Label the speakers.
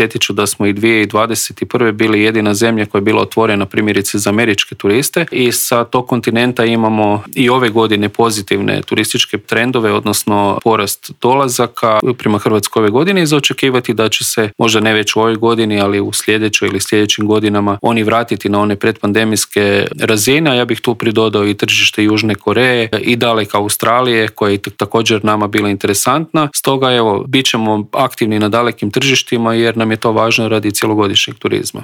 Speaker 1: podsjetit ću da smo i 2021. bili jedina zemlja koja je bila otvorena primjerice za američke turiste i sa tog kontinenta imamo i ove godine pozitivne turističke trendove, odnosno porast dolazaka prema Hrvatskoj ove godine i za očekivati da će se, možda ne već u ovoj godini, ali u sljedećoj ili sljedećim godinama oni vratiti na one predpandemijske razine. Ja bih tu pridodao i tržište Južne Koreje i daleka Australije koja je također nama bila interesantna. Stoga bit ćemo aktivni na dalekim tržištima jer nam je to važno radi cjelogodišnjeg turizma.